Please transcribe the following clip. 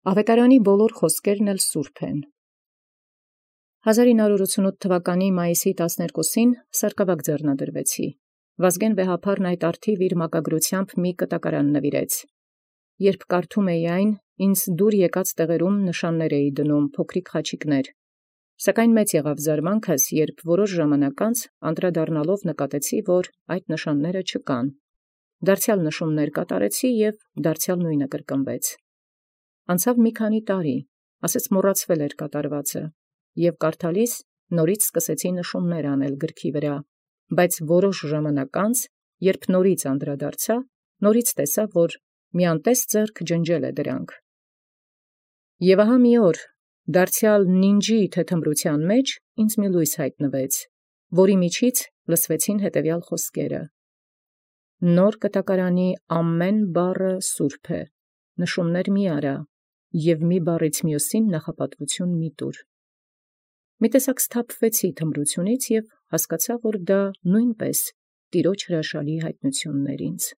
Ավետարանի բոլոր խոսքերն էլ սուրբ են։ 1988 թվականի մայիսի 12-ին սարկավակ ձեռնադրվեցի։ Վազգեն Վեհափարն այդ առթիվ իր մակագրությամբ մի կտակարան նվիրեց։ Երբ կարդում էի այն, ինձ դուր եկած տեղերում նշաններ էի դնում, փոքրիկ խաչիկներ։ Սակայն մեծ եղավ զարմանքս, երբ որոշ ժամանակ անց անդրադառնալով նկատեցի, որ այդ նշանները չկան։ Դարձյալ նշումներ կատարեցի և դարձյալ նույնը կրկնվեց։ Անցավ մի քանի տարի, ասես մոռացվել էր կատարվածը, և կարդալիս նորից սկսեցի նշումներ անել գրքի վրա, բայց որոշ ժամանակ անց, երբ նորից անդրադարձա, նորից տեսա, որ մի անտես ձեռք ջնջել է դրանք։ Եվ ահա մի օր, դարձյալ նինջի թեթմրության մեջ ինձ մի լույս հայտնվեց, որի միջից լսվեցին հետևյալ խոսքերը. «Նոր կտակարանի ամեն բառը սուրբ է, նշումներ մի արա, և մի բառից մյուսին նախապատվություն մի տուր»։ Մի տեսակ սթափվեցի թմրությունից և հասկացա, որ դա նույնպես տիրոջ հրաշալի հայտնությունն էր ինձ։